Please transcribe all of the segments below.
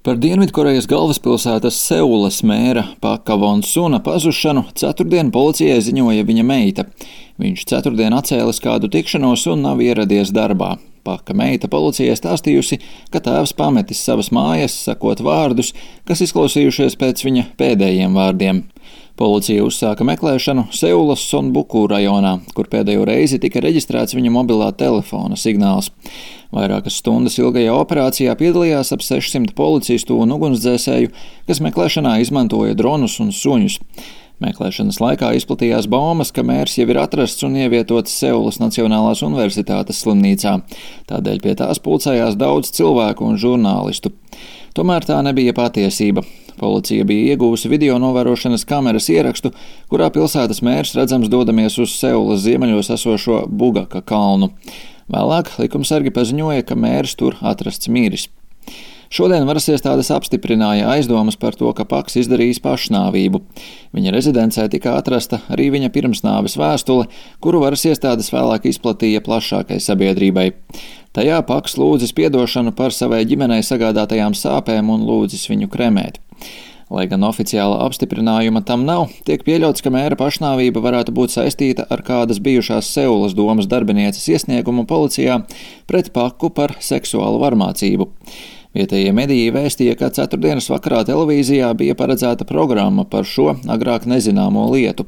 Par Dienvidkorejas galvaspilsētas Seulas mēra Paka Von Suna pazušanu ceturtdien policijai ziņoja viņa meita. Viņš ceturtdien atcēlis kādu tikšanos un nav ieradies darbā. Paka meita policijai stāstījusi, ka tēvs pametis savas mājas, sakot vārdus, kas izklausījušies pēc viņa pēdējiem vārdiem. Policija uzsāka meklēšanu Seulas Sonbuku rajonā, kur pēdējo reizi tika reģistrēts viņa mobilā telefona signāls. Vairākas stundas ilgajā operācijā piedalījās ap 600 policistu un ugunsdzēsēju, kas meklēšanā izmantoja dronus un suņus. Meklēšanas laikā izplatījās baumas, ka mērs jau ir atrasts un ievietots Seulas Nacionālās universitātes slimnīcā. Tādēļ pie tās pulcējās daudz cilvēku un žurnālistu. Tomēr tā nebija patiesība. Policija bija ieguvusi video novērošanas kameras ierakstu, kurā pilsētas mērs redzams dodamies uz Seulas ziemeļos esošo Bugaka kalnu. Vēlāk likumsargi paziņoja, ka mērs tur atrasts miris. Šodien varas iestādes apstiprināja aizdomas par to, ka Paks izdarījis pašnāvību. Viņa rezidencē tika atrasta arī viņa pirmsnāves vēstule, kuru varas iestādes vēlāk izplatīja plašākai sabiedrībai. Tajā Paks lūdzis piedošanu par savai ģimenei sagādātajām sāpēm un lūdzis viņu kremēt. Lai gan oficiāla apstiprinājuma tam nav, tiek pieļauts, ka mēra pašnāvība varētu būt saistīta ar kādas bijušās Seulas domas darbinieces iesniegumu policijā pret Paku par seksuālu varmācību. Vietējie mediji vēstīja, ka ceturtdienas vakarā televīzijā bija paredzēta programma par šo agrāk nezināmo lietu.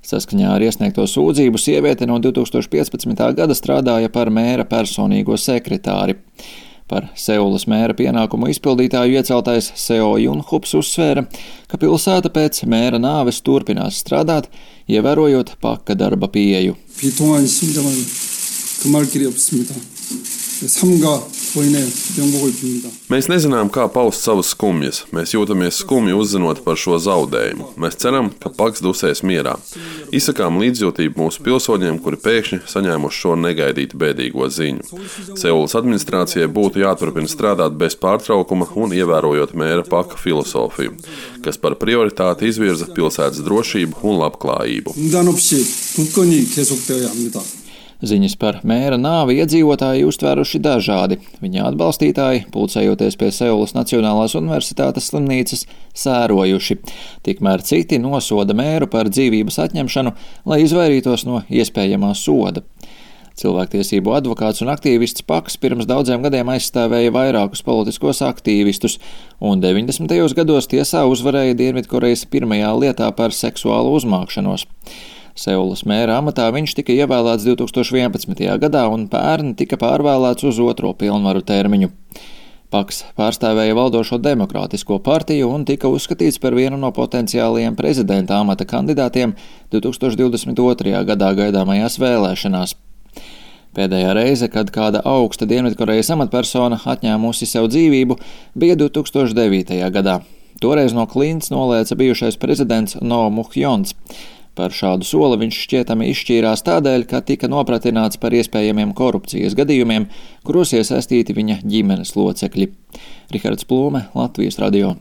Saskaņā ar iesniegto sūdzību sieviete no 2015. gada strādāja par mēra personīgo sekretāri. Par Seulas mēra pienākumu izpildītāju ieceltais Seo Junhups uzsvēra, ka pilsēta pēc mēra nāves turpinās strādāt, ievērojot Paka darba pieeju. Mēs nezinām, kā paust savas skumjas. Mēs jūtamies skumji uzzinot par šo zaudējumu. Mēs ceram, ka Paks dusēs mierā. Izsakām līdzjūtību mūsu pilsoņiem, kuri pēkšņi saņēmuši šo negaidītu bēdīgo ziņu. Seulas administrācijai būtu jāturpina strādāt bez pārtraukuma un ievērojot mēra Paka filosofiju, kas par prioritāti izvirza pilsētas drošību un labklājību. Ziņas par mēra nāvi iedzīvotāji uztvēruši dažādi. Viņa atbalstītāji, pulcējoties pie Seulas Nacionālās universitātes slimnīcas, sērojuši. Tikmēr citi nosoda mēru par dzīvības atņemšanu, lai izvairītos no iespējamā soda. Cilvēktiesību advokāts un aktīvists Paks pirms daudziem gadiem aizstāvēja vairākus politiskos aktīvistus, un 90. gados tiesā uzvarēja Dienvidkorejas pirmajā lietā par seksuālu uzmākšanos. Seulas mēra amatā viņš tika ievēlēts 2011. gadā un pērn tika pārvēlēts uz otro pilnvaru termiņu. Paks pārstāvēja valdošo demokrātisko partiju un tika uzskatīts par vienu no potenciālajiem prezidenta amata kandidātiem 2022. gadā gaidāmajās vēlēšanās. Pēdējā reize, kad kāda augsta Dienvidkorejas amatpersona atņēmusi sev dzīvību, bija 2009. gadā. Toreiz no klints nolēca bijušais prezidents No Muhjons. Par šādu soli viņš šķietami izšķīrās tādēļ, ka tika nopratināts par iespējamiem korupcijas gadījumiem, kuros iesaistīti viņa ģimenes locekļi. Rihards Plūme, Latvijas radio.